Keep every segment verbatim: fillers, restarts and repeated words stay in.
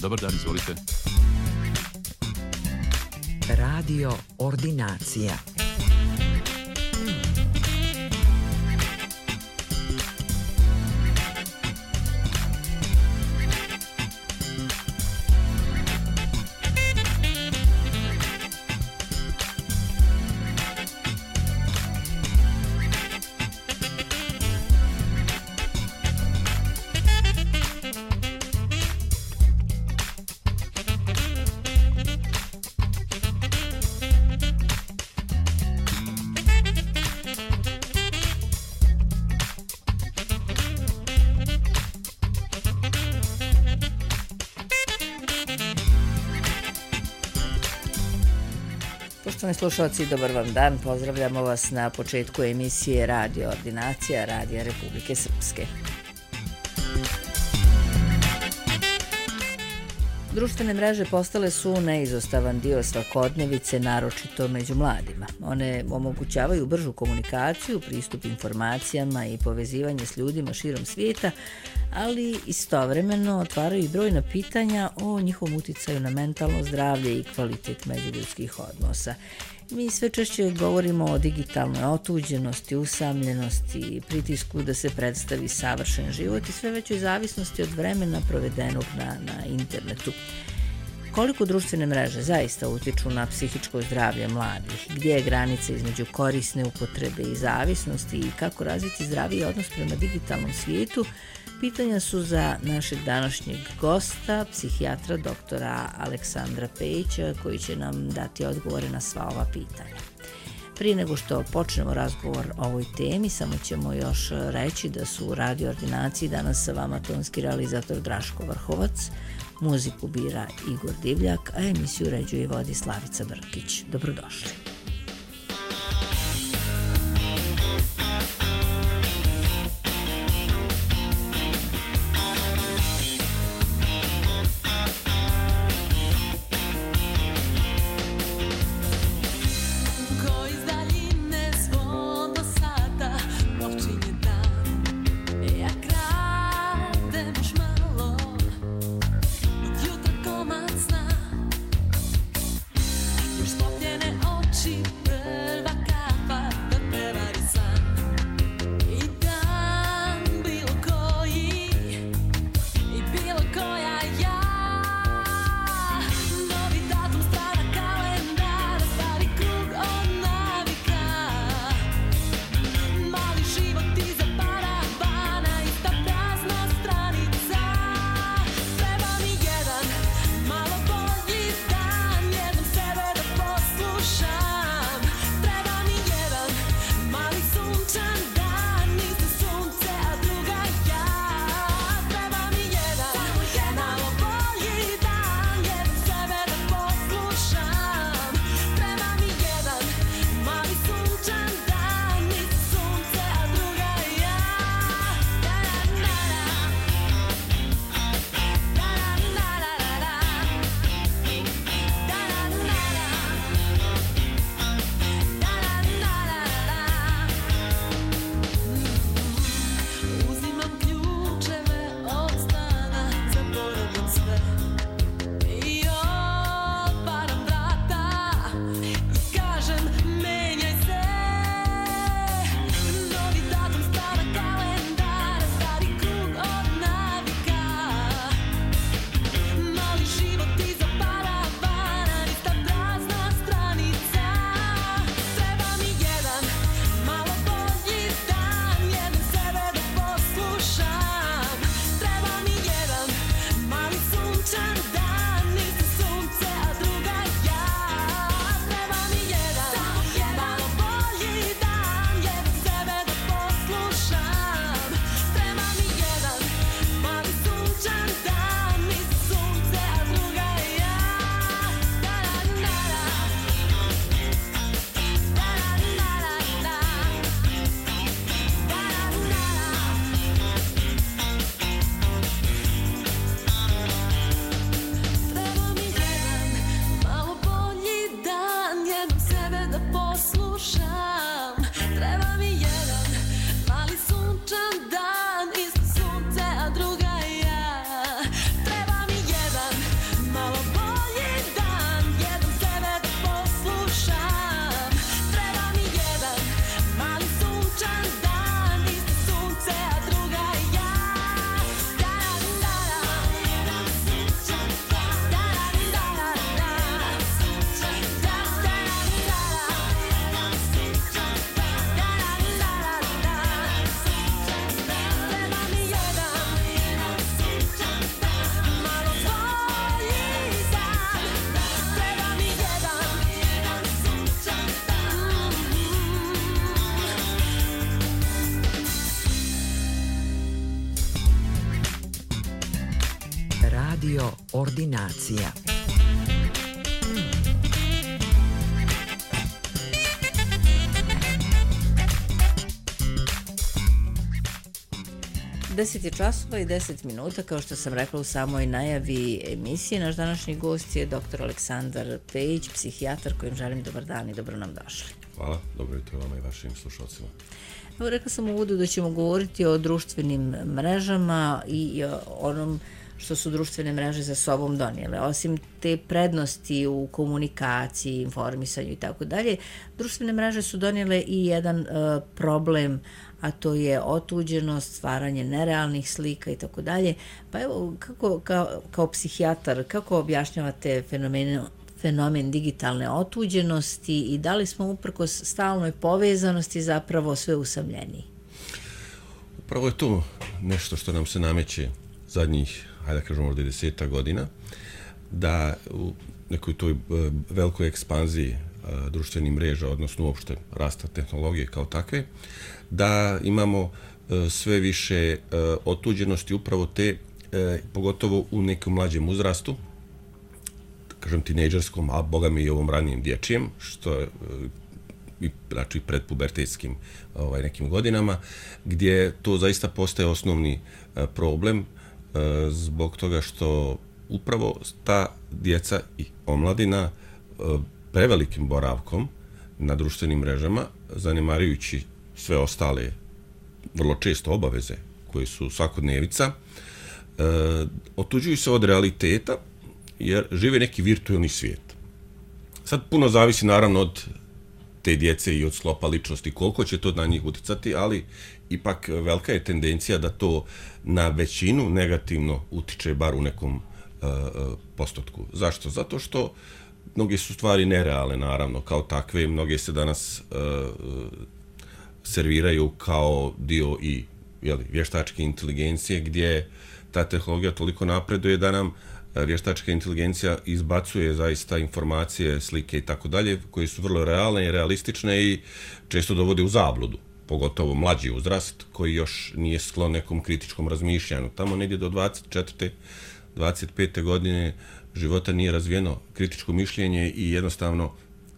Dobar dan, izvolite. Radio Ordinacija. Poštovani slušalci, dobar vam dan. Pozdravljamo vas na početku emisije Radio Ordinacija Radija Republike Srpske. Društvene mreže postale su neizostavan dio svakodnevice, naročito među mladima. One omogućavaju bržu komunikaciju, pristup informacijama i povezivanje s ljudima širom svijeta, ali istovremeno otvaraju i brojna pitanja o njihovom uticaju na mentalno zdravlje i kvalitet međuljudskih odnosa. Mi sve češće govorimo o digitalnoj otuđenosti, usamljenosti, pritisku da se predstavi savršen život i sve većoj zavisnosti od vremena provedenog na, na internetu. Koliko društvene mreže zaista utiču na psihičko zdravlje mladih? Gdje je granica između korisne upotrebe i zavisnosti i kako razviti zdraviji odnos prema digitalnom svijetu? Pitanja su za našeg današnjeg gosta, psihijatra doktora Aleksandra Pejića, koji će nam dati odgovore na sva ova pitanja. Prije nego što počnemo razgovor o ovoj temi, samo ćemo još reći da su u Radio Ordinaciji danas sa vama tonski realizator Draško Vrhovac, muziku bira Igor Divljak, a emisiju uređuje i vodi Slavica Brkić. Dobrodošli. Już spopniene oczy ordinacija. deset je časova i deset minuta, kao što sam rekla u samoj najavi emisije. Naš današnji gost je doktor Aleksandar Pejić, psihijatar, kojim želim dobar dan i dobro nam došli. Hvala, dobro jutro vama i vašim slušalcima. Evo, rekla sam u uvodu da ćemo govoriti o društvenim mrežama i o onom što su društvene mreže za sobom donijele. Osim te prednosti u komunikaciji, informisanju i tako dalje, društvene mreže su donijele i jedan uh, problem, a to je otuđenost, stvaranje nerealnih slika i tako dalje. Pa evo, kako, kao, kao psihijatar, kako objašnjavate fenomen, fenomen digitalne otuđenosti i da li smo uprkos stalnoj povezanosti zapravo sve usamljeniji? Upravo je to nešto što nam se nameće zadnjih, hajde da kažemo, možda deseta godina, da u nekoj toj velikoj ekspanziji društvenih mreža, odnosno uopšte rasta tehnologije kao takve, da imamo sve više otuđenosti upravo te, pogotovo u nekom mlađem uzrastu, kažem tinejdžerskom, a boga mi i ovom ranijem dječjem, što je i znači predpubertetskim ovaj, nekim godinama, gdje to zaista postaje osnovni problem zbog toga što upravo ta djeca i omladina prevelikim boravkom na društvenim mrežama, zanemarujući sve ostale vrlo često obaveze koje su svakodnevica, e, otuđuju se od realiteta jer žive neki virtualni svijet. Sad puno zavisi naravno od te djece i od sklopa ličnosti, koliko će to na njih uticati, ali ipak velika je tendencija da to na većinu negativno utiče bar u nekom e, postotku. Zašto? Zato što mnoge su stvari nerealne, naravno, kao takve. Mnoge se danas uh, serviraju kao dio i jeli, vještačke inteligencije, gdje ta tehnologija toliko napreduje da nam vještačka inteligencija izbacuje zaista informacije, slike i tako dalje, koje su vrlo realne i realistične i često dovode u zabludu, pogotovo mlađi uzrast koji još nije sklon nekom kritičkom razmišljanju. Tamo negdje do dvadeset četvrte dvadeset pete godine života nije razvijeno kritičko mišljenje i jednostavno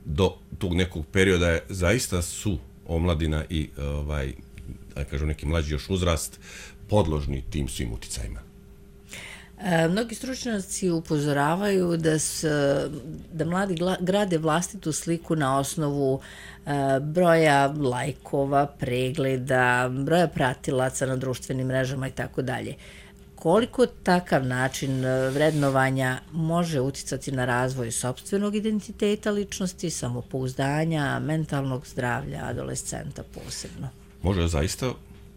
do tog nekog perioda je, zaista su omladina i ovaj, da kažem, neki mlađi još uzrast podložni tim svim uticajima. E, mnogi stručnjaci upozoravaju da, s, da mladi gla, grade vlastitu sliku na osnovu e, broja lajkova, pregleda, broja pratilaca na društvenim mrežama i tako dalje. Koliko takav način vrednovanja može uticati na razvoj sopstvenog identiteta ličnosti, samopouzdanja, mentalnog zdravlja adolescenta posebno? Može zaista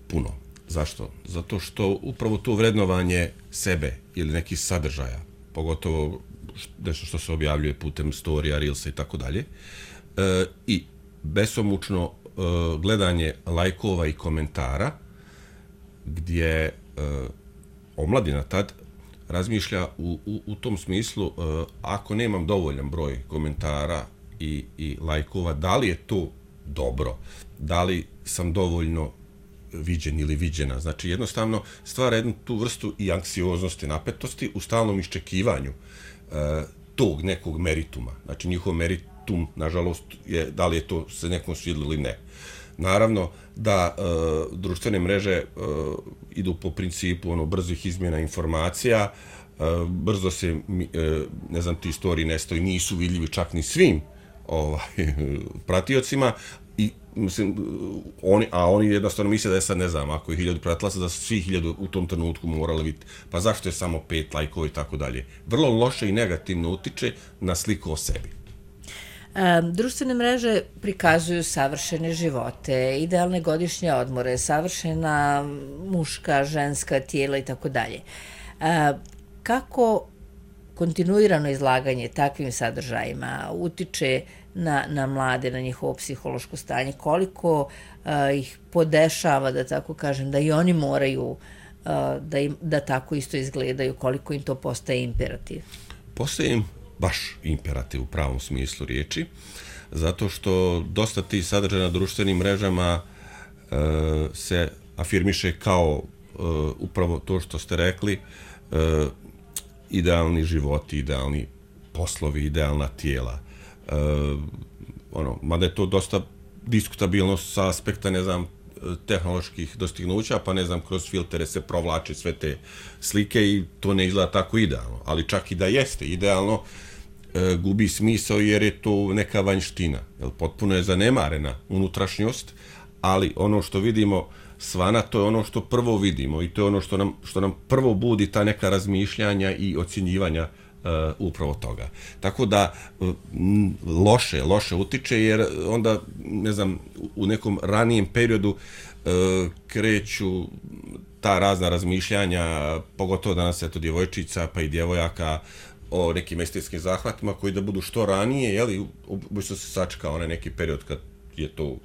puno. Zašto? Zato što upravo to vrednovanje sebe ili nekih sadržaja, pogotovo nešto što se objavljuje putem storija, reelsa i tako dalje, i besomučno e, gledanje lajkova i komentara, gdje e, omladina tad razmišlja u, u, u tom smislu, uh, ako nemam dovoljan broj komentara i, i lajkova, da li je to dobro, da li sam dovoljno viđen ili viđena. Znači jednostavno stvara jednu tu vrstu i anksioznosti, napetosti u stalnom iščekivanju uh, tog nekog merituma. Znači njihov meritum, nažalost, je da li je to se nekom svidilo ili ne. Naravno da uh, društvene mreže uh, idu po principu ono brzih izmjena informacija, uh, brzo se, uh, ne znam, ti storiji nestaju, nisu vidljivi čak ni svim ovaj, pratiocima, i, mislim, oni, a oni jednostavno misle da je sad, ne znam, ako je hiljadu pratilaca, da su svi hiljadu u tom trenutku morali vidjeti, pa zašto je samo pet lajkova i tako dalje. Vrlo loše i negativno utiče na sliku o sebi. E, društvene mreže prikazuju savršene živote, idealne godišnje odmore, savršena muška, ženska tijela i tako dalje. Kako kontinuirano izlaganje takvim sadržajima utiče na, na mlade, na njihovo psihološko stanje, koliko a, ih podešava, da tako kažem, da i oni moraju a, da, im, da tako isto izgledaju, koliko im to postaje imperativ? Postaje im baš imperativ u pravom smislu riječi, zato što dosta tih sadržaja na društvenim mrežama e, se afirmiše kao e, upravo to što ste rekli, e, idealni životi, idealni poslovi, idealna tijela. E, ono, mada je to dosta diskutabilno sa aspekta, ne znam, tehnoloških dostignuća, pa ne znam, kroz filtere se provlače sve te slike i to ne izgleda tako idealno. Ali čak i da jeste idealno, e, gubi smisao jer je to neka vanjština. Jel, potpuno je zanemarena unutrašnjost, ali ono što vidimo svana, to je ono što prvo vidimo i to je ono što nam, što nam prvo budi ta neka razmišljanja i ocjenjivanja Uh, upravo toga. Tako da uh, loše, loše utiče jer onda, ne znam, u nekom ranijem periodu uh, kreću ta razna razmišljanja, pogotovo danas eto djevojčica pa i djevojaka o nekim estetskim zahvatima koji da budu što ranije, jeli, obično se sačeka onaj neki period kad je to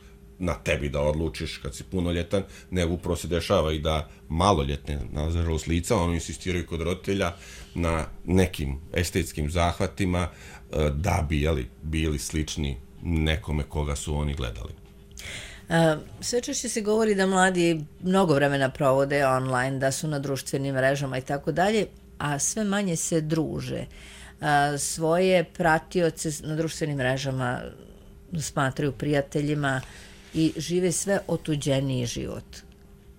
na tebi da odlučiš kad si punoljetan, nego upravo se dešava i da maloljetne, nažalost lica, ono insistiraju kod roditelja na nekim estetskim zahvatima da bi, jeli, bili slični nekome koga su oni gledali. Sve češće se govori da mladi mnogo vremena provode online, da su na društvenim mrežama i tako dalje, a sve manje se druže. Svoje pratioce na društvenim mrežama smatraju prijateljima i žive sve otuđeniji život.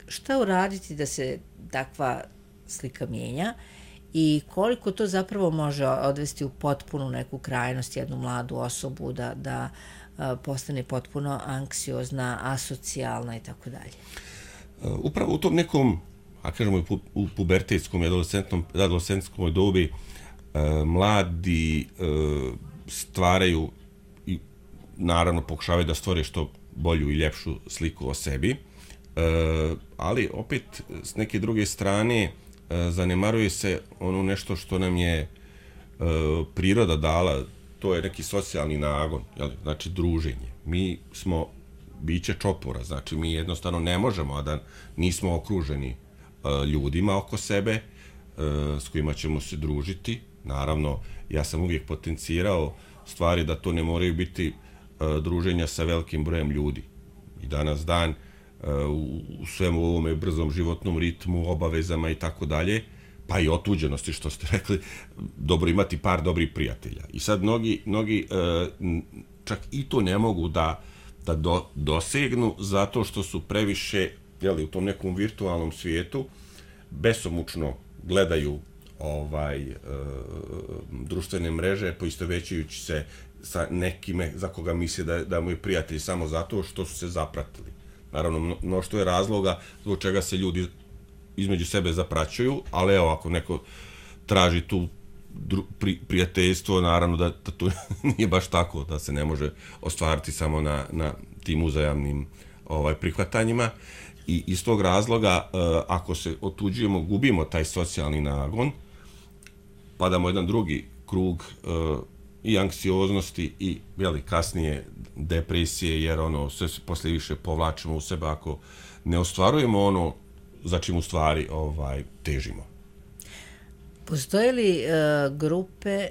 Šta uraditi da se takva slika mijenja i koliko to zapravo može odvesti u potpunu neku krajnost jednu mladu osobu da, da postane potpuno anksiozna, asocijalna i tako dalje? Upravo u tom nekom, a kažemo u pubertetskom i adolescentskom dobi, mladi stvaraju i naravno pokušavaju da stvore što bolju i ljepšu sliku o sebi, ali opet s neke druge strane zanemaruje se ono nešto što nam je priroda dala, to je neki socijalni nagon, znači druženje. Mi smo biće čopora, znači mi jednostavno ne možemo, a da nismo okruženi ljudima oko sebe s kojima ćemo se družiti. Naravno, ja sam uvijek potencirao stvari da to ne moraju biti druženja sa velikim brojem ljudi. I danas dan u svemu ovome brzom životnom ritmu, obavezama i tako dalje, pa i otuđenosti, što ste rekli, dobro imati par dobrih prijatelja. I sad mnogi, mnogi čak i to ne mogu da, da do, dosegnu zato što su previše, jeli, u tom nekom virtualnom svijetu, besomučno gledaju ovaj e, društvene mreže, poistovećujući se sa nekime za koga misle da, da mu je prijatelj samo zato što su se zapratili. Naravno, mnoštvo je razloga zbog čega se ljudi između sebe zapraćuju, ali evo, ako neko traži tu dru, pri, prijateljstvo, naravno da, da to nije baš tako, da se ne može ostvariti samo na, na tim uzajamnim ovaj, prihvatanjima. I iz tog razloga, uh, ako se otuđujemo, gubimo taj socijalni nagon, padamo jedan drugi krug uh, i anksioznosti i jeli, kasnije depresije, jer ono sve se poslije više povlačimo u sebe ako ne ostvarujemo ono za čim u stvari ovaj, težimo. Postoje li uh, grupe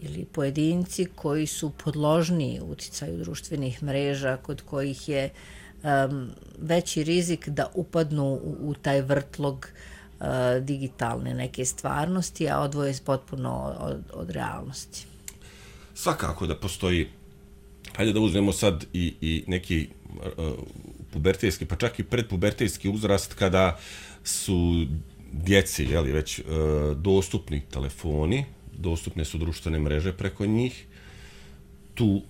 ili pojedinci koji su podložniji uticaju društvenih mreža, kod kojih je um, veći rizik da upadnu u, u taj vrtlog uh, digitalne neke stvarnosti, a odvoje potpuno od, od realnosti? Svakako da postoji, hajde da uzmemo sad i, i neki uh, pubertetski, pa čak i predpubertetski uzrast kada su djeci, jeli, već uh, dostupni telefoni, dostupne su društvene mreže preko njih. Tu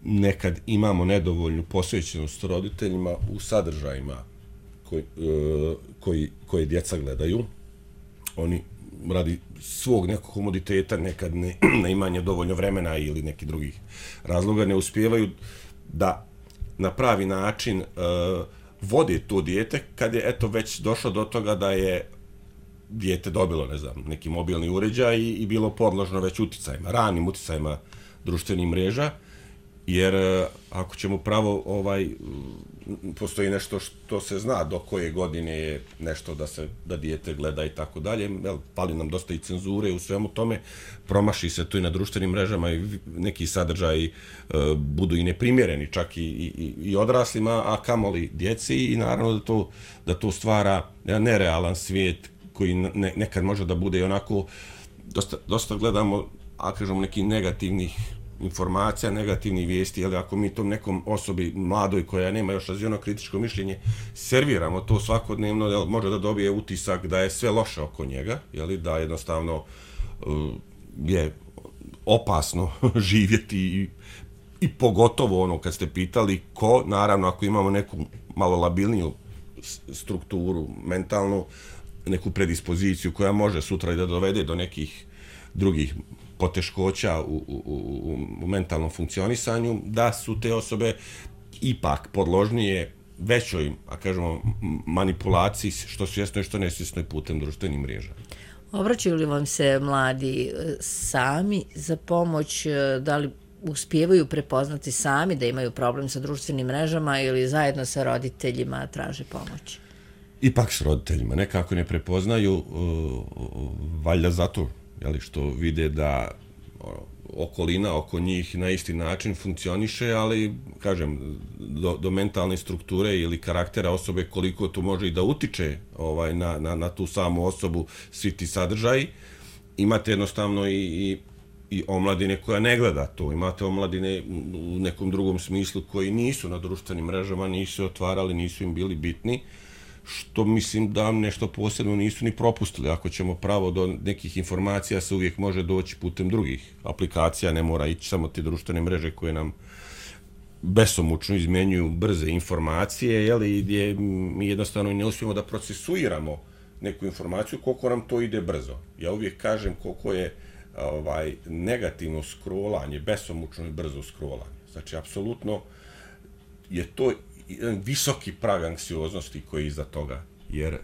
nekad imamo nedovoljnu posvećenost roditeljima u sadržajima koji, uh, koji, koje djeca gledaju. Oni radi svog nekog komoditeta, nekad ne, ne imanje dovoljno vremena ili neki drugih razloga, ne uspijevaju da na pravi način uh, vode to dijete kad je eto već došlo do toga da je dijete dobilo, ne znam, neki mobilni uređaj i, i bilo podložno već uticajima, ranim uticajima društvenih mreža, jer uh, ako ćemo pravo, ovaj, postoji nešto što se zna do koje godine je nešto da se da dijete gleda i tako dalje, pali nam dosta i cenzure u svemu tome, promaši se to i na društvenim mrežama i neki sadržaji uh, budu i neprimjereni čak i, i, i odraslima, a kamoli djeci i naravno da to, da to stvara nerealan svijet koji ne, nekad može da bude i onako dosta, dosta gledamo, a kažemo, nekih negativnih informacija, negativnih vijesti, ali ako mi tom nekom osobi mladoj koja nema još razvijeno kritičko mišljenje, serviramo to svakodnevno, jel, može da dobije utisak da je sve loše oko njega, jel, da jednostavno uh, je opasno živjeti i, i pogotovo ono kad ste pitali ko, naravno ako imamo neku malo labilniju strukturu, mentalnu, neku predispoziciju koja može sutra i da dovede do nekih drugih poteškoća u, u, u, u mentalnom funkcionisanju, da su te osobe ipak podložnije većoj, a kažemo, manipulaciji, što svjesno i što nesvjesno i putem društvenih mreža. Obraćaju li vam se mladi sami za pomoć, da li uspijevaju prepoznati sami da imaju problem sa društvenim mrežama ili zajedno sa roditeljima traže pomoć? Ipak s roditeljima, nekako ne prepoznaju, uh, valjda zato, jeli, što vide da ono, okolina oko njih na isti način funkcioniše, ali, kažem, do, do mentalne strukture ili karaktera osobe koliko to može i da utiče ovaj, na, na, na tu samu osobu, svi ti sadržaji. Imate jednostavno i, i, i omladine koja ne gleda to, imate omladine u nekom drugom smislu koji nisu na društvenim mrežama, nisu otvarali, nisu im bili bitni, što mislim da nešto posebno nisu ni propustili. Ako ćemo pravo do nekih informacija, se uvijek može doći putem drugih aplikacija, ne mora ići samo te društvene mreže koje nam besomučno izmenjuju brze informacije, jeli, gdje mi jednostavno ne uspijemo da procesuiramo neku informaciju koliko nam to ide brzo. Ja uvijek kažem koliko je ovaj negativno scrollanje, besomučno i brzo scrollanje. Znači, apsolutno je to jedan visoki prag anksioznosti koji je iza toga, jer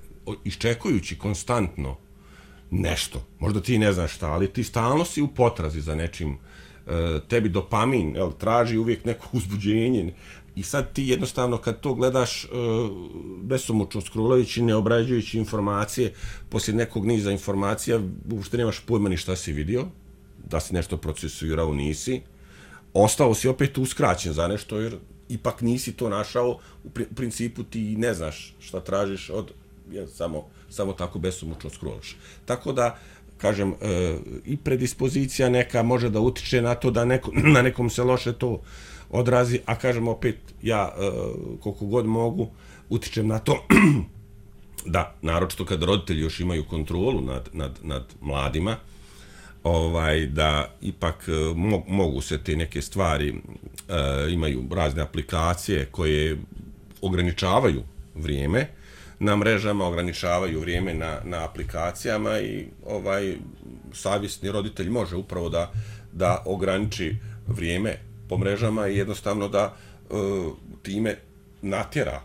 iščekujući konstantno nešto, možda ti ne znaš šta, ali ti stalno si u potrazi za nečim, tebi dopamin, jel, traži uvijek neko uzbuđenje i sad ti jednostavno kad to gledaš besomučno scrollajući, ne obrađujući informacije, poslije nekog niza informacija uopšte nemaš pojma ni šta si vidio, da si nešto procesuirao, nisi, ostao si opet uskraćen za nešto jer ipak nisi to našao, u principu ti ne znaš šta tražiš od, ja, samo, samo tako besomučno scrollaš. Tako da, kažem, e, i predispozicija neka može da utiče na to da neko, na nekom se loše to odrazi, a kažem opet, ja e, koliko god mogu utičem na to da, naročito kad roditelji još imaju kontrolu nad, nad, nad mladima, ovaj, da ipak mo, mogu se te neke stvari, e, imaju razne aplikacije koje ograničavaju vrijeme na mrežama, ograničavaju vrijeme na, na aplikacijama i ovaj savjesni roditelj može upravo da, da ograniči vrijeme po mrežama i jednostavno da e, time natjera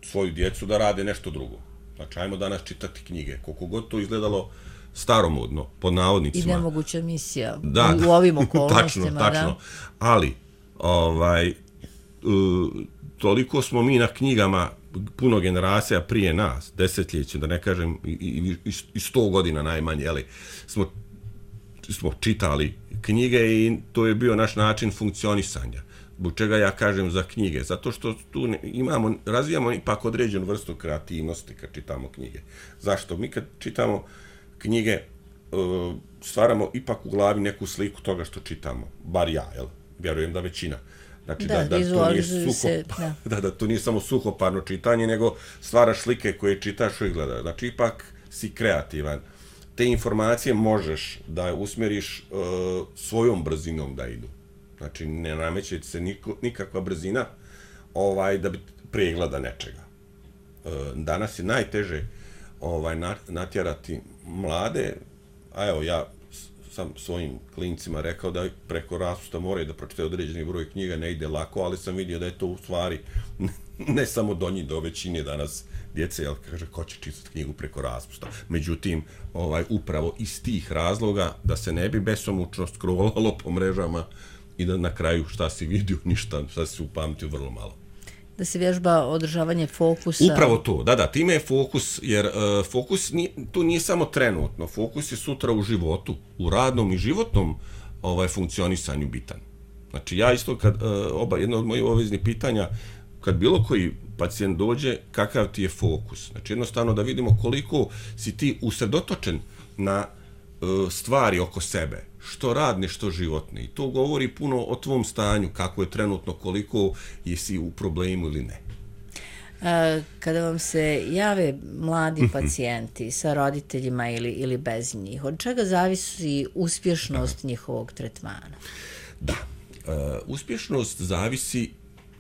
svoju djecu da rade nešto drugo. Znači, ajmo danas čitati knjige, koliko god to izgledalo staromodno, pod navodnicima. I nemoguća misija da, u ovim okolnostima. Tačno, tačno. Da? Ali, ovaj, uh, toliko smo mi na knjigama, puno generacija prije nas, desetljeća, da ne kažem i, i, i sto godina najmanje, jeli, smo, smo čitali knjige i to je bio naš način funkcionisanja. Zbog čega ja kažem za knjige? Zato što tu imamo, razvijamo ipak određenu vrstu kreativnosti kad čitamo knjige. Zašto? Mi kad čitamo knjige stvaramo ipak u glavi neku sliku toga što čitamo. Bar ja, jel? Vjerujem da većina. Znači da, da, da, to, nije suho, se, da. da, da to nije samo suhoparno čitanje, nego stvaraš slike koje čitaš i gledaš. Znači ipak si kreativan. Te informacije možeš da usmjeriš uh, svojom brzinom da idu. Znači ne nameće se niko, nikakva brzina ovaj, da bi pregleda nečega. Uh, danas je najteže ovaj, natjerati mlade, a evo ja sam svojim klincima rekao da preko raspusta moraju da pročitaju određeni broj knjiga, ne ide lako, ali sam vidio da je to u stvari ne samo do njih, do većine danas djece, jel kaže ko će čitati knjigu preko raspusta. Međutim, ovaj, upravo iz tih razloga da se ne bi besomučno scrollalo po mrežama i da na kraju šta si vidio, ništa, šta si upamtio, vrlo malo. Da se vježba održavanje fokusa. Upravo to, da, da, time je fokus, jer uh, fokus nije, to nije samo trenutno, fokus je sutra u životu, u radnom i životnom ovaj, funkcionisanju bitan. Znači ja isto, kad, uh, oba, jedno od mojih obaveznih pitanja, kad bilo koji pacijent dođe, kakav ti je fokus? Znači jednostavno da vidimo koliko si ti usredotočen na stvari oko sebe, što radne, što životne. I to govori puno o tvom stanju, kako je trenutno, koliko jesi u problemu ili ne. Kada vam se jave mladi pacijenti sa roditeljima ili, ili bez njih, od čega zavisi uspješnost da. njihovog tretmana? Da, uh, uspješnost zavisi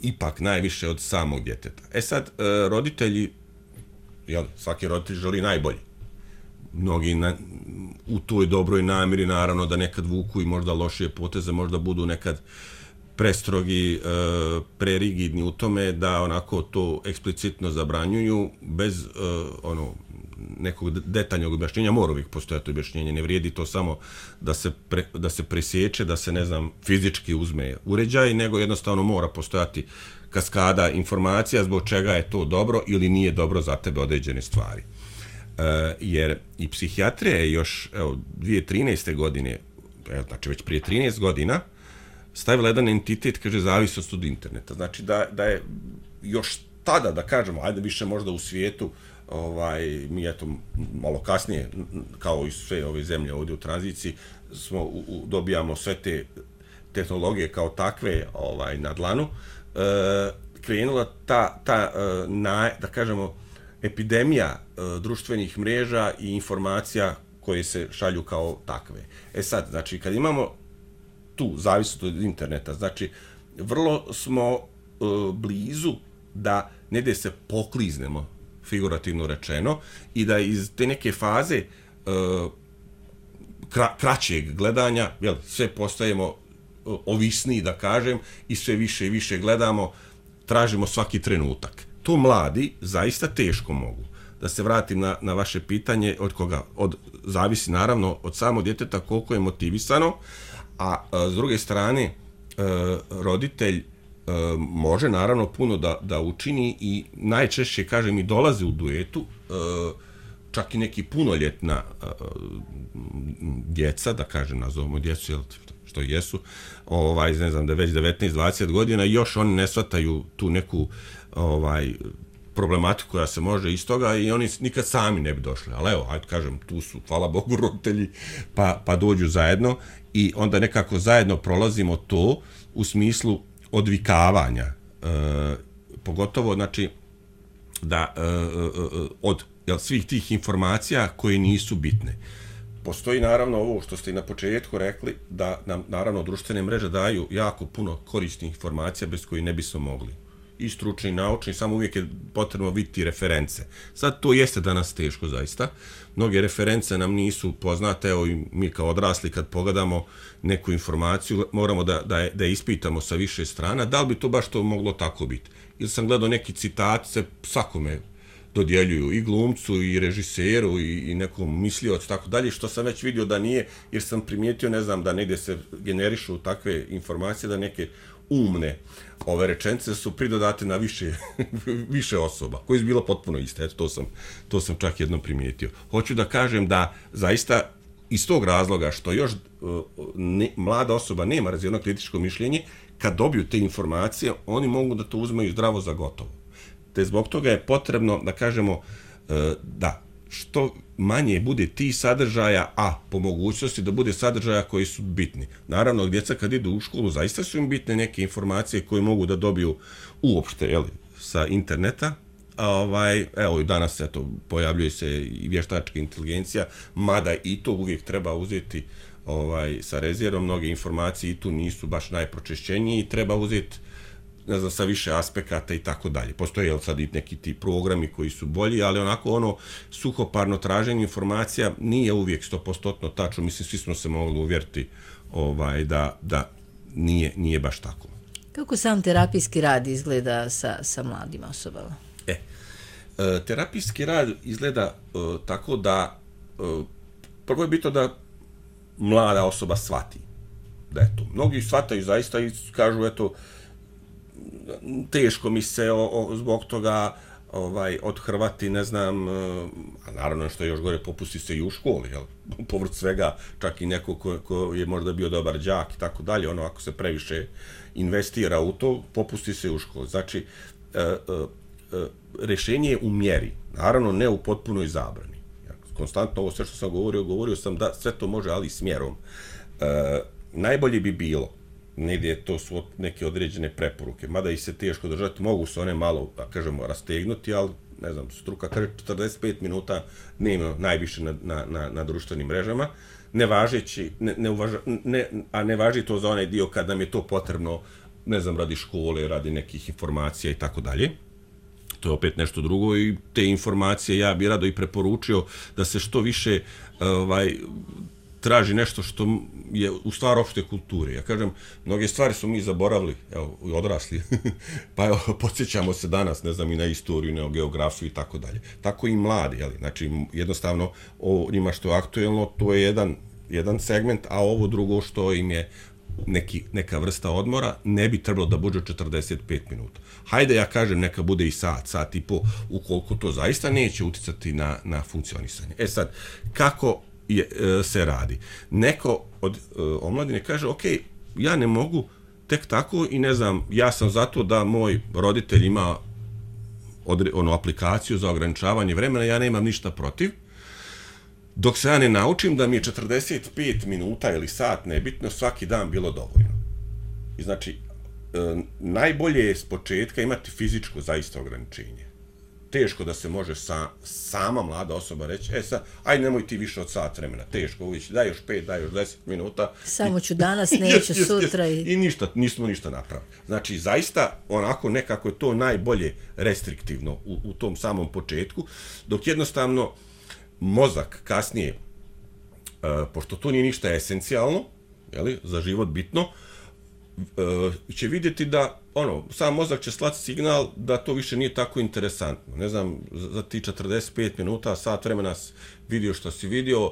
ipak najviše od samog djeteta. E sad, uh, roditelji, jel, svaki roditelj želi najbolje. Mnogi na, u toj dobroj namjeri, naravno, da nekad vuku i možda lošije poteze, možda budu nekad prestrogi, prerigidni u tome da onako to eksplicitno zabranjuju bez ono nekog detaljnog objašnjenja. Mora uvijek postojati objašnjenje, ne vrijedi to samo da se, pre, da se presječe, da se, ne znam, fizički uzme uređaj, nego jednostavno mora postojati kaskada informacija zbog čega je to dobro ili nije dobro za tebe određene stvari. E, jer i psihijatrija je još evo, dvije tisuće trinaeste. godine, evo, znači već prije trinaest godina, stavila jedan entitet, kaže, zavisnost od interneta. Znači da, da je još tada, da kažemo, ajde više možda u svijetu, ovaj, mi eto malo kasnije, kao i sve ove zemlje ovdje u tranziciji, smo, u, u, dobijamo sve te tehnologije kao takve ovaj, na dlanu, e, krenula ta, ta e, na, da kažemo, epidemija e, društvenih mreža i informacija koje se šalju kao takve. E sad, znači, kad imamo tu zavisnost od interneta, znači, vrlo smo e, blizu da negdje se pokliznemo, figurativno rečeno, i da iz te neke faze e, kra, kraćeg gledanja, jel, sve postajemo ovisniji, da kažem, i sve više i više gledamo, tražimo svaki trenutak. To mladi zaista teško mogu. Da se vratim na, na vaše pitanje, od koga? Od, zavisi naravno od samog djeteta koliko je motivisano, a, a s druge strane e, roditelj e, može naravno puno da, da učini i najčešće, kažem, i dolaze u duetu, e, čak i neki punoljetna e, djeca, da kažem, nazovemo djecu, jel, što jesu, ovaj, ne znam, da već devetnaest dvadeset godina, još oni ne shvataju tu neku ovaj, problematiku koja se može iz toga i oni nikad sami ne bi došli. Ali evo, ajde kažem, tu su, hvala Bogu, roditelji, pa, pa dođu zajedno i onda nekako zajedno prolazimo to u smislu odvikavanja. E, pogotovo, znači, da e, e, od jel, svih tih informacija koje nisu bitne. Postoji naravno ovo što ste i na početku rekli, da nam naravno društvene mreže daju jako puno korisnih informacija bez koji ne bismo mogli. I stručni i naučni, samo uvijek je potrebno vidjeti reference. Sad to jeste danas teško zaista. Mnoge reference nam nisu poznate, evo i mi kao odrasli kad pogledamo neku informaciju, moramo da, da, je, da je ispitamo sa više strana, da li bi to baš to moglo tako biti. Ili sam gledao neki citat, se svakome dodjeljuju i glumcu i režiseru i, i nekom misliocu, tako dalje, što sam već vidio da nije, jer sam primijetio, ne znam, da negdje se generišu takve informacije, da neke umne ove rečenice su pridodate na više, više osoba, koje su bilo potpuno iste. Eto, to sam, to sam čak jednom primijetio. Hoću da kažem da zaista iz tog razloga što još ne, mlada osoba nema razvijeno kritičko mišljenje, kad dobiju te informacije, oni mogu da to uzmeju zdravo za gotovo. Te zbog toga je potrebno da kažemo da što manje bude ti sadržaja, a po mogućnosti da bude sadržaja koji su bitni. Naravno, djeca kad idu u školu, zaista su im bitne neke informacije koje mogu da dobiju uopšte, jel, sa interneta. A ovaj, evo i danas eto, pojavljuje se i vještačka inteligencija, mada i to uvijek treba uzeti ovaj, sa rezervom. Mnoge informacije i tu nisu baš najpročešćenije i treba uzeti, ne znam, sa više aspekata i tako dalje. Postoje jel, sad i neki ti programi koji su bolji, ali onako ono suhoparno traženje informacija nije uvijek sto posto tačno. Mislim, svi smo se mogli uvjeriti ovaj, da, da nije, nije baš tako. Kako sam terapijski rad izgleda sa, sa mladim osobama? E, e, terapijski rad izgleda e, tako da e, prvo je bitno da mlada osoba shvati da je to. Mnogi shvataju zaista i kažu, eto, teško mi se o, o, zbog toga ovaj, odhrvati, ne znam, a naravno što je još gore, popusti se i u školi, jel? Povrh svega, čak i neko ko, ko je možda bio dobar đak i tako dalje, ono ako se previše investira u to, popusti se i u školi. Znači, e, e, e, rješenje je u mjeri, naravno ne u potpunoj zabrani. konstantno ovo sve što sam govorio, govorio sam da sve to može, ali smjerom. E, najbolje bi bilo, negdje to su neke određene preporuke, mada i se teško držati, mogu se one malo, da kažemo, rastegnuti, ali ne znam, struka kaže četrdeset pet minuta dnevno najviše na, na, na, na društvenim mrežama, ne važeći, ne, ne uvaža, ne, a ne važi to za onaj dio kad nam je to potrebno, ne znam, radi škole, radi nekih informacija i tako dalje. To je opet nešto drugo i te informacije ja bih rado i preporučio da se što više ovaj, traži nešto što je u stvar opšte kulture. Ja kažem, mnoge stvari su mi zaboravili, evo, odrasli, pa evo, podsjećamo se danas, ne znam, i na istoriju, na geografiju i tako dalje. Tako i mladi, jeli? Znači, jednostavno, o njima što je aktuelno, to je jedan, jedan segment, a ovo drugo što im je neki, neka vrsta odmora, ne bi trebalo da bude četrdeset pet minuta. Hajde, ja kažem, neka bude i sat, sat i po, ukoliko to zaista neće uticati na, na funkcionisanje. E sad, kako je, e, se radi? Neko od e, omladine kaže, ok, ja ne mogu tek tako i ne znam, ja sam zato da moj roditelj ima odre, ono, aplikaciju za ograničavanje vremena, ja nemam ništa protiv, dok se ja ne naučim da mi je četrdeset pet minuta ili sat, nebitno, svaki dan bilo dovoljno. I znači, e, najbolje je s početka imati fizičko zaista ograničenje. Teško da se može sa, sama mlada osoba reći, e sad, aj nemoj ti više od sat vremena, teško, uvijek, daj još pet, daj još deset minuta. Samo ću danas, neću yes, yes, sutra. Yes. I... I ništa, nismo ništa napravili. Znači, zaista, onako nekako je to najbolje restriktivno u, u tom samom početku, dok jednostavno mozak kasnije, e, pošto to nije ništa esencijalno, jeli, za život bitno, e, će vidjeti da ono, sam mozak će slati signal da to više nije tako interesantno. Ne znam, za ti četrdeset pet minuta, sat vremena vidio što si vidio,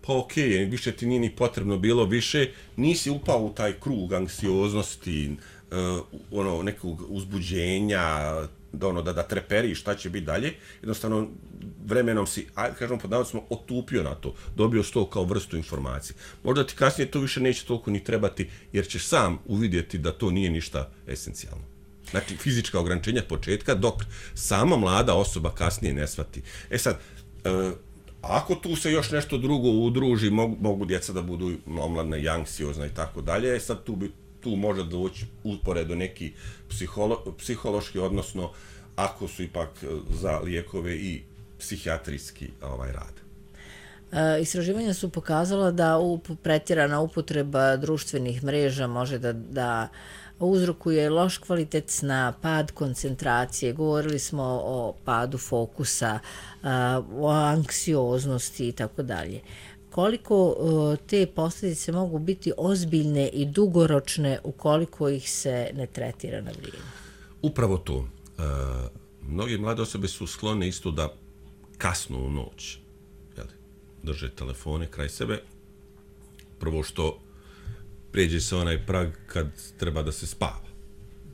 pa okej, okay, više ti nije ni potrebno bilo više, nisi upao u taj krug anksioznosti, uh, ono, nekog uzbuđenja, da, ono, da, da treperiš šta će biti dalje. Jednostavno, vremenom si, ajde kažemo pod navodnicima, otupio na to, dobio sto kao vrstu informacije. Možda ti kasnije to više neće toliko ni trebati, jer ćeš sam uvidjeti da to nije ništa esencijalno. Znači, fizička ograničenja početka, dok sama mlada osoba kasnije ne shvati. E sad, uh, ako tu se još nešto drugo udruži, mogu, mogu djeca da budu omladna i anksiozna i tako dalje, sad tu bi tu može doći uporedo neki psiholo, psihološki, odnosno ako su ipak za lijekove i psihijatrijski ovaj rad. E, istraživanja su pokazala da up, pretjerana upotreba društvenih mreža može da, da uzrokuje loš kvalitet sna, pad koncentracije, govorili smo o padu fokusa, o anksioznosti i tako dalje. Koliko te posljedice mogu biti ozbiljne i dugoročne ukoliko ih se ne tretira na vrijeme? Upravo to. E, mnoge mlade osobe su sklone isto da kasno u noć, jel, drže telefone kraj sebe. Prvo što pređe se onaj prag kad treba da se spava.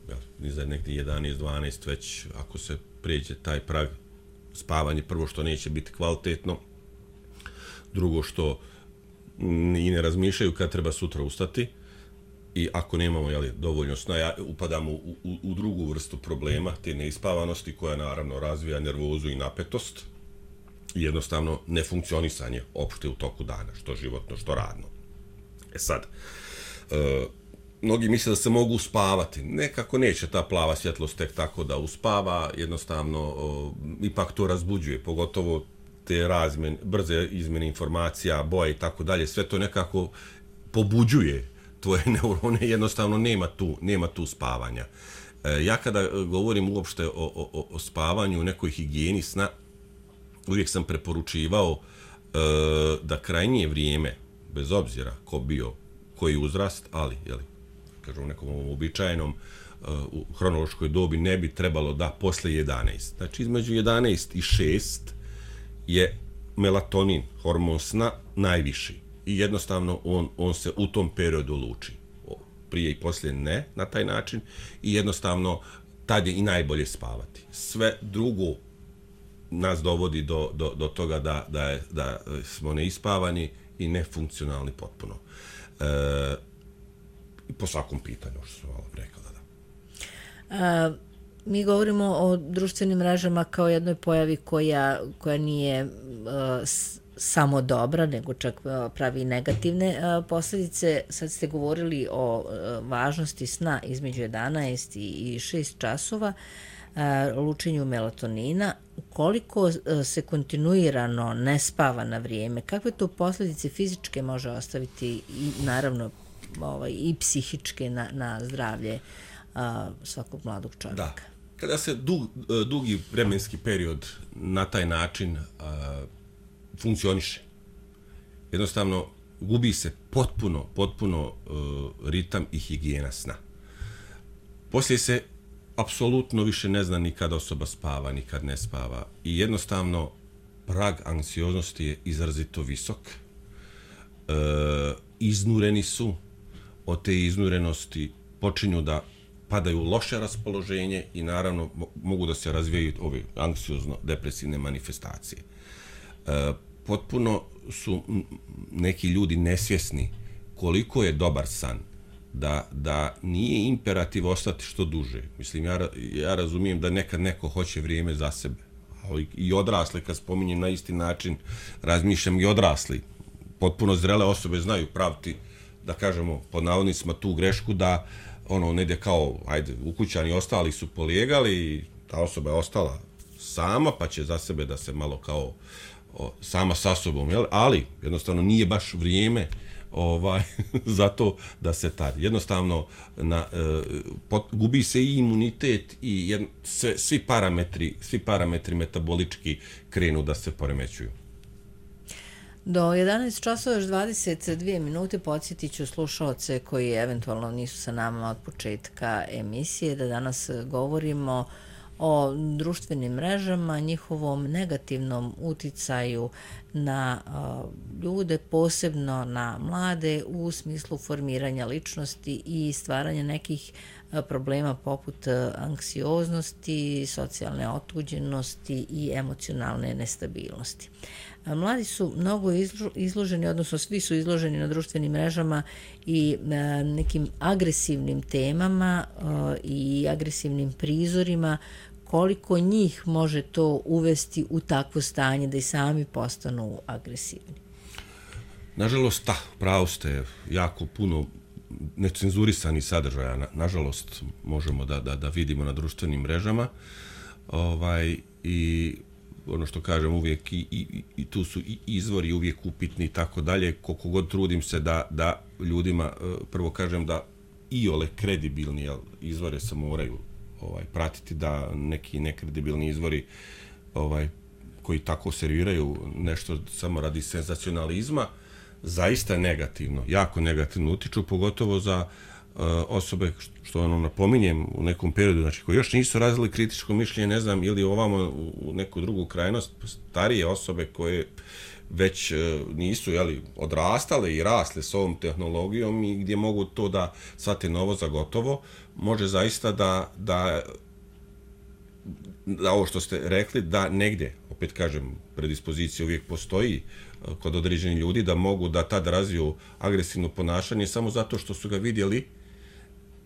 Jel, ni za nekde jedanaest dvanaest već ako se pređe taj prag spavanje, prvo što neće biti kvalitetno, drugo što i ne razmišljaju kad treba sutra ustati i ako nemamo, jeli, dovoljno sna, ja, upadamo u, u, u drugu vrstu problema, te neispavanosti koja naravno razvija nervozu i napetost i jednostavno nefunkcionisanje opšte u toku dana, što životno, što radno. E sad, e, mnogi misle da se mogu uspavati, nekako neće ta plava svjetlost tek tako da uspava, jednostavno o, ipak to razbuđuje, pogotovo te razmen, brze izmjene informacija, boje i tako dalje, sve to nekako pobuđuje tvoje neurone, jednostavno nema tu, nema tu spavanja. E, ja kada govorim uopšte o, o, o spavanju, nekoj higijeni sna, uvijek sam preporučivao e, da krajnije vrijeme, bez obzira ko bio, koji uzrast, ali, jeli, kažem, u nekom uobičajenom u hronološkoj dobi ne bi trebalo da posle jedanaest. Znači, između jedanaest i šest je melatonin, hormon sna, najviši. I jednostavno on, on se u tom periodu luči. Prije i poslije ne, na taj način. I jednostavno tad je i najbolje spavati. Sve drugo nas dovodi do, do, do toga da, da, je, da smo neispavani i nefunkcionalni potpuno. E, po svakom pitanju, što sam malo rekao. Da. A, mi govorimo o društvenim mrežama kao jednoj pojavi koja, koja nije uh, s, samo dobra, nego čak uh, pravi negativne uh, posljedice. Sad ste govorili o uh, važnosti sna između jedanaest i šest časova, uh, lučenju melatonina. Ukoliko uh, se kontinuirano ne spava na vrijeme, kakve to posljedice fizičke može ostaviti i naravno ovaj, i psihičke na, na zdravlje uh, svakog mladog čovjeka? Da. Kada se dug, dugi vremenski period na taj način uh, funkcioniše, jednostavno gubi se potpuno, potpuno uh, ritam i higijena sna. Poslije se apsolutno više ne zna ni kad osoba spava, ni kad ne spava i jednostavno prag anksioznosti je izrazito visok. Uh, iznureni su, od te iznurenosti počinju da padaju loše raspoloženje i naravno mogu da se razvijaju ove anksiozno-depresivne manifestacije. E, potpuno su neki ljudi nesvjesni koliko je dobar san, da, da nije imperativ ostati što duže. Mislim, ja, ja razumijem da nekad neko hoće vrijeme za sebe, ali i odrasli, kad spominjem na isti način, razmišljam i odrasli. Potpuno zrele osobe znaju praviti, da kažemo, pod navodnicima tu grešku da ono, negdje kao, ajde, ukućani ostali su polijegali i ta osoba je ostala sama, pa će za sebe da se malo kao o, sama sa sobom, jel? Ali jednostavno nije baš vrijeme ovaj, za to da se tari. Jednostavno na, e, pot, gubi se i imunitet i jedno, sve, svi parametri, svi parametri metabolički krenu da se poremećuju. Do jedanaest časova još dvadeset dvije minute podsjetit ću slušaoce koji eventualno nisu sa nama od početka emisije da danas govorimo o društvenim mrežama, njihovom negativnom uticaju na uh, ljude, posebno na mlade u smislu formiranja ličnosti i stvaranja nekih uh, problema poput uh, anksioznosti, socijalne otuđenosti i emocionalne nestabilnosti. Mladi su mnogo izloženi, odnosno svi su izloženi na društvenim mrežama i nekim agresivnim temama i agresivnim prizorima. Koliko njih može to uvesti u takvo stanje da i sami postanu agresivni? Nažalost, da, pravo ste, jako puno necenzurisanih sadržaja, na, nažalost, možemo da, da, da vidimo na društvenim mrežama. Ovaj, i ono što kažem uvijek i, i, i tu su i izvori uvijek upitni i tako dalje, koliko god trudim se da, da ljudima, prvo kažem da i ole kredibilni jel, izvore se moraju ovaj, pratiti, da neki nekredibilni izvori ovaj, koji tako serviraju nešto samo radi senzacionalizma, zaista negativno, jako negativno utiču, pogotovo za uh, osobe, što ono napominjem u nekom periodu, znači koji još nisu razvili kritičko mišljenje, ne znam, ili ovamo u neku drugu krajnost, starije osobe koje već uh, nisu jeli, odrastale i rasle s ovom tehnologijom i gdje mogu to da shvate novo za gotovo, može zaista da, da, da ovo što ste rekli, da negdje, opet kažem, predispozicija uvijek postoji kod određenih ljudi da mogu da tad razviju agresivno ponašanje samo zato što su ga vidjeli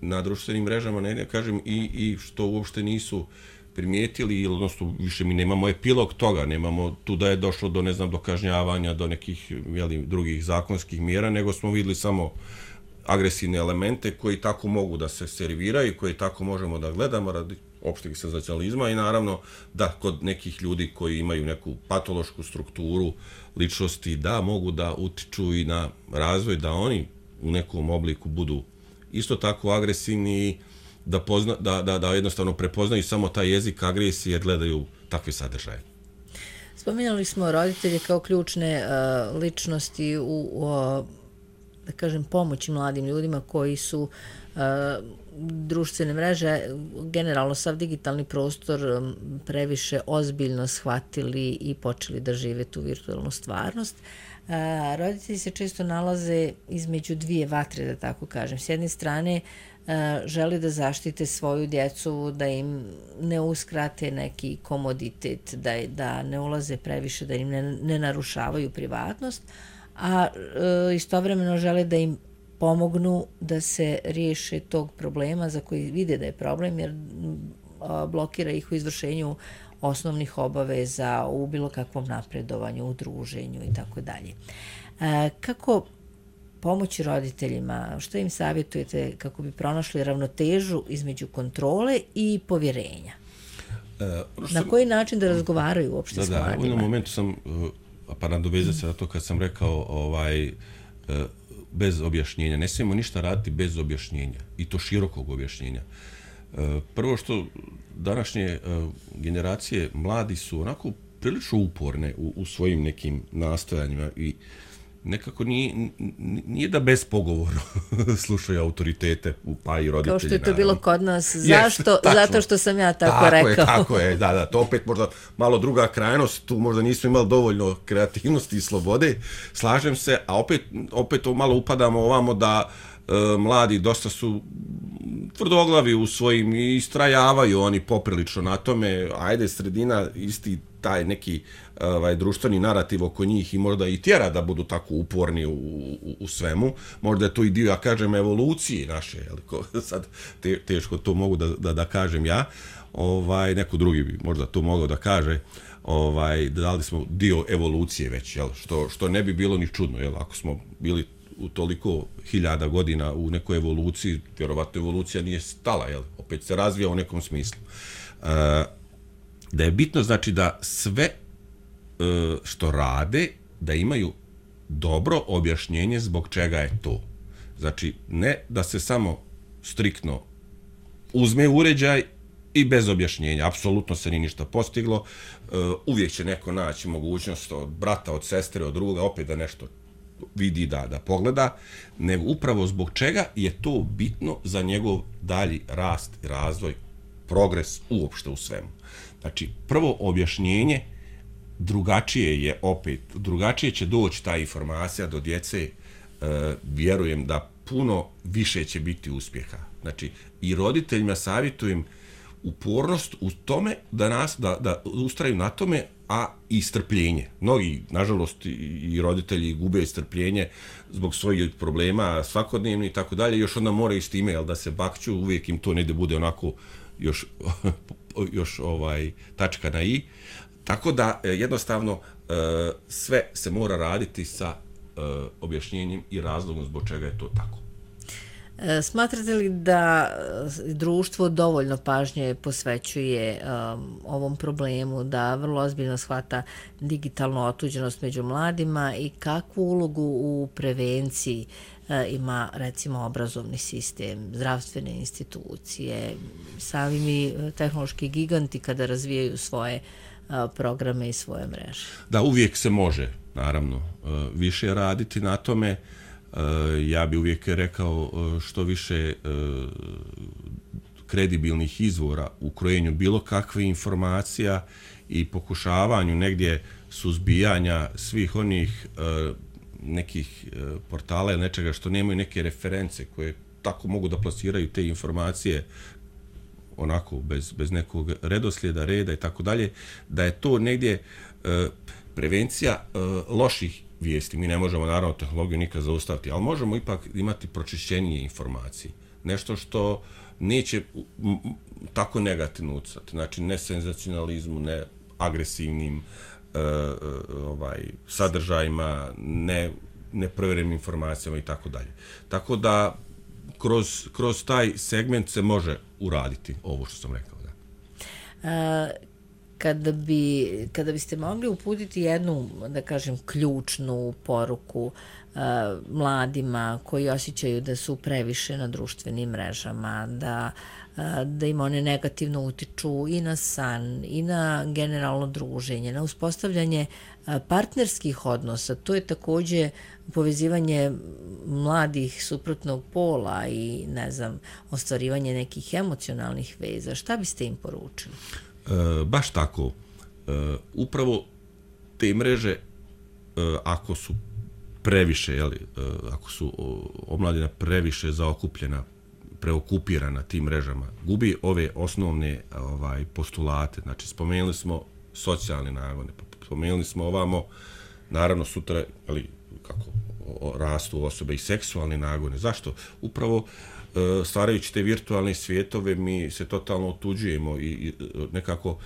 na društvenim mrežama, ne, ne kažem, i, i što uopšte nisu primijetili, ili odnosno više mi nemamo epilog toga, nemamo tu da je došlo do, ne znam, do kažnjavanja, do nekih jeli, drugih zakonskih mjera, nego smo vidjeli samo agresivne elemente koji tako mogu da se serviraju, koji tako možemo da gledamo radi opšteg senzacionalizma i naravno da kod nekih ljudi koji imaju neku patološku strukturu ličnosti da mogu da utiču i na razvoj, da oni u nekom obliku budu isto tako agresivni i da, pozna, da, da, da jednostavno prepoznaju samo taj jezik agresije jer gledaju takve sadržaje. Spominjali smo roditelje kao ključne uh, ličnosti u, uh, da kažem, pomoći mladim ljudima koji su uh, društvene mreže, generalno sav digitalni prostor previše ozbiljno shvatili i počeli da žive tu virtualnu stvarnost. A, roditelji se često nalaze između dvije vatre, da tako kažem. S jedne strane a, žele da zaštite svoju djecu, da im ne uskrate neki komoditet, da, da ne ulaze previše, da im ne, ne narušavaju privatnost, a, a istovremeno žele da im pomognu da se riješe tog problema za koji vide da je problem, jer blokira ih u izvršenju osnovnih obaveza, u bilo kakvom napredovanju, u druženju i tako dalje. Kako pomoći roditeljima, što im savjetujete kako bi pronašli ravnotežu između kontrole i povjerenja? Uh, na koji način da razgovaraju uopšte da, s mladima? Da, u jednom momentu sam, pa nadovezati se na to kad sam rekao, ovaj, bez objašnjenja. Ne smijemo ništa raditi bez objašnjenja, i to širokog objašnjenja. Prvo što današnje generacije mladi su onako prilično uporne u, u svojim nekim nastojanjima i nekako nije, nije da bez pogovora slušaju autoritete, pa i roditelji. Kao što je to bilo kod nas. Zašto? Yes, zato što sam ja tako, tako rekao. Je, tako je, da, da. To opet možda malo druga krajnost, tu možda nismo imali dovoljno kreativnosti i slobode, slažem se, a opet, opet to malo upadamo ovamo da e, mladi dosta su tvrdoglavi u svojim i istrajavaju oni poprilično na tome, ajde sredina isti taj neki ovaj, društveni narativ oko njih i možda i tjera da budu tako uporni u, u, u svemu. Možda je to i dio, ja kažem, evolucije naše, jel, ko, sad te, teško to mogu da, da, da kažem ja, ovaj, neko drugi bi možda to mogao da kaže, ovaj, da li smo dio evolucije već, jel, što, što ne bi bilo ni čudno, jel, ako smo bili u toliko hiljada godina u nekoj evoluciji, vjerovatno evolucija nije stala, jel, opet se razvija u nekom smislu. Uh, da je bitno znači da sve uh, što rade, da imaju dobro objašnjenje zbog čega je to. Znači, ne da se samo striktno uzme uređaj i bez objašnjenja, apsolutno se ni ništa postiglo, uh, uvijek će neko naći mogućnost od brata, od sestre, od druga, opet da nešto vidi, da, da pogleda, nego upravo zbog čega je to bitno za njegov dalji rast i razvoj, progres uopšte u svemu. Znači, prvo objašnjenje drugačije je opet, drugačije će doći ta informacija do djece, e, vjerujem da puno više će biti uspjeha. Znači, i roditeljima savjetujem upornost u tome da nas, da, da ustraju na tome, a i strpljenje. Mnogi, nažalost, i roditelji gube strpljenje zbog svojih problema svakodnevni i tako dalje, još onda moraju s time, jel, da se bakću, uvijek im to ne da bude onako još, još ovaj, tačka na i. Tako da, jednostavno, sve se mora raditi sa objašnjenjem i razlogom zbog čega je to tako. Smatrate li da društvo dovoljno pažnje posvećuje um, ovom problemu, da vrlo ozbiljno shvata digitalnu otuđenost među mladima i kakvu ulogu u prevenciji uh, ima, recimo, obrazovni sistem, zdravstvene institucije, sami tehnološki giganti kada razvijaju svoje uh, programe i svoje mreže? Da, uvijek se može, naravno, uh, više raditi na tome. Ja bi uvijek rekao što više kredibilnih izvora u krojenju bilo kakve informacija i pokušavanju negdje suzbijanja svih onih nekih portala ili nečega što nemaju neke reference koje tako mogu da plasiraju te informacije onako bez, bez nekog redoslijeda, reda i tako dalje, da je to negdje prevencija loših vijesti. Mi ne možemo, naravno, tehnologiju nikad zaustaviti, ali možemo ipak imati pročišćenije informacije. Nešto što neće tako negativno ucati. Znači, ne senzacionalizmu, ne agresivnim uh, ovaj, sadržajima, ne neprovjerenim informacijama i tako dalje. Tako da, kroz, kroz taj segment se može uraditi ovo što sam rekao. Da. Uh... Kada, bi, kada biste mogli uputiti jednu, da kažem, ključnu poruku uh, mladima koji osjećaju da su previše na društvenim mrežama, da, uh, da im one negativno utiču i na san, i na generalno druženje, na uspostavljanje uh, partnerskih odnosa, to je također povezivanje mladih suprotnog pola i, ne znam, ostvarivanje nekih emocionalnih veza. Šta biste im poručili? E, baš tako. E, upravo te mreže, e, ako su previše, jeli, e, ako su omladina previše zaokupljena, preokupirana tim mrežama, gubi ove osnovne ovaj, postulate. Znači, spomenuli smo socijalne nagone, spomenuli smo ovamo, naravno sutra, ali kako, o, rastu osobe i seksualne nagone. Zašto? Upravo stvarajući te virtualne svijetove, mi se totalno otuđujemo i nekako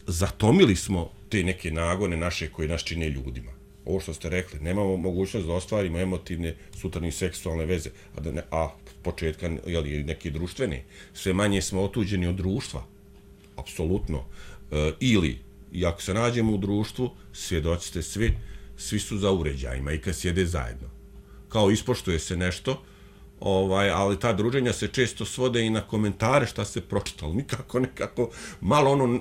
zatomili smo te neke nagone naše koje nas čine ljudima. Ovo što ste rekli, nemamo mogućnost da ostvarimo emotivne, sutra ni seksualne veze, a, da ne, a početka jeli, neke društvene. Sve manje smo otuđeni od društva, apsolutno. E, ili, i ako se nađemo u društvu, svjedoci ste svi, svi su za uređajima i kad sjede zajedno. Kao ispoštuje se nešto, ovaj, ali ta druženja se često svode i na komentare šta se pročitalo. Nikako, nekako, malo ono,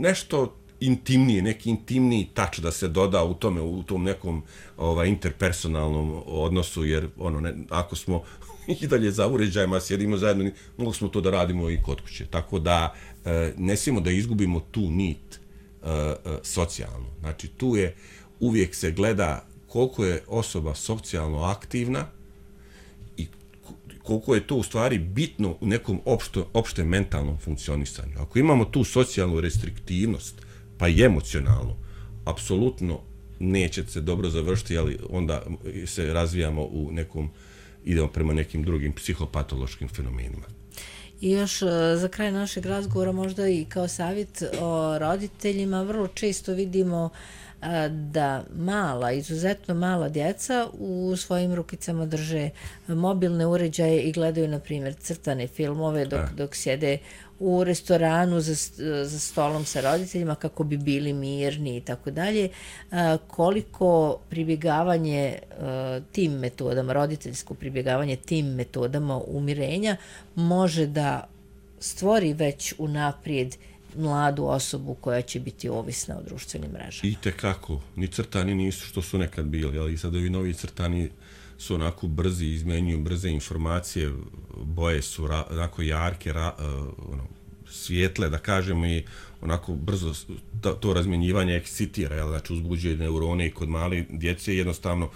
nešto intimnije, neki intimniji tač da se doda u tome, u tom nekom ovaj, interpersonalnom odnosu, jer ono, ne, ako smo i dalje za uređajima, sjedimo zajedno, mogli smo to da radimo i kod kuće. Tako da e, ne smijemo da izgubimo tu nit e, e, socijalnu. Znači, tu je, uvijek se gleda koliko je osoba socijalno aktivna i koliko je to u stvari bitno u nekom opšto, opštem mentalnom funkcionisanju. Ako imamo tu socijalnu restriktivnost, pa i emocionalno, apsolutno neće se dobro završiti, ali onda se razvijamo u nekom, idemo prema nekim drugim psihopatološkim fenomenima. I još za kraj našeg razgovora možda i kao savjet o roditeljima, vrlo često vidimo da mala, izuzetno mala djeca u svojim rukicama drže mobilne uređaje i gledaju, na primjer, crtane filmove dok, dok sjede u restoranu za, za stolom sa roditeljima kako bi bili mirni i tako dalje. Koliko pribjegavanje tim metodama, roditeljsko pribjegavanje tim metodama umirenja može da stvori već unaprijed mladu osobu koja će biti ovisna o društvenim mrežama. I tekako, ni crtani nisu što su nekad bili, ali sad ovi novi crtani su onako brzi, izmenjuju brze informacije, boje su ra, onako jarke, ra, uh, ono, svijetle, da kažemo, i onako brzo to, to razmjenjivanje ekscitira, jel, znači uzbuđuje neurone i kod male djece, jednostavno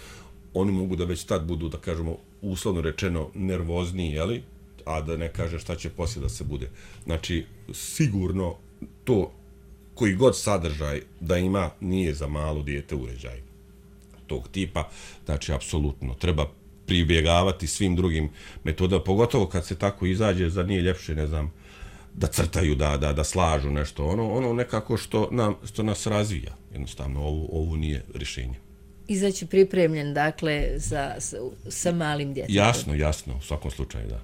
oni mogu da već tad budu, da kažemo, uslovno rečeno nervozniji, jeli, a da ne kaže šta će poslije da se bude. Znači, sigurno to koji god sadržaj da ima nije za malo dijete uređaj tog tipa, znači apsolutno treba pribjegavati svim drugim metodama, pogotovo kad se tako izađe, za nije ljepše, ne znam, da crtaju, da, da, da slažu nešto, ono, ono nekako što, nam, što nas razvija, jednostavno, ovo, ovo nije rješenje. Izaći pripremljen, dakle, sa, sa, sa malim djetetom. Jasno, jasno, u svakom slučaju, da.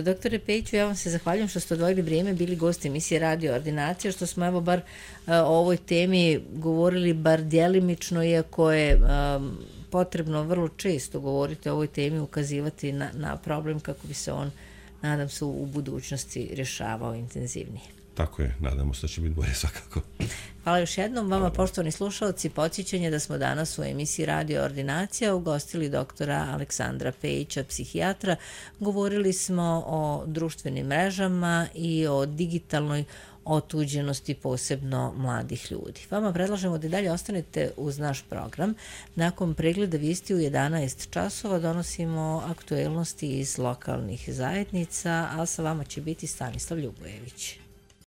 Doktore Pejiću, ja vam se zahvaljujem što ste odvojili vrijeme, bili gosti emisije Radio Ordinacija, što smo evo bar o ovoj temi govorili bar djelimično, iako je um, potrebno vrlo često govoriti o ovoj temi, ukazivati na, na problem kako bi se on, nadam se, u budućnosti rješavao intenzivnije. Tako je, nadamo se da će biti bolje svakako. Hvala još jednom vama, poštovani slušalci. Podsjećanje da smo danas u emisiji Radio Ordinacija ugostili doktora Aleksandra Pejića, psihijatra. Govorili smo o društvenim mrežama i o digitalnoj otuđenosti, posebno mladih ljudi. Vama predlažemo da dalje ostanete uz naš program. Nakon pregleda vijesti u jedanaest časova donosimo aktuelnosti iz lokalnih zajednica, a sa vama će biti Stanislav Ljubojević.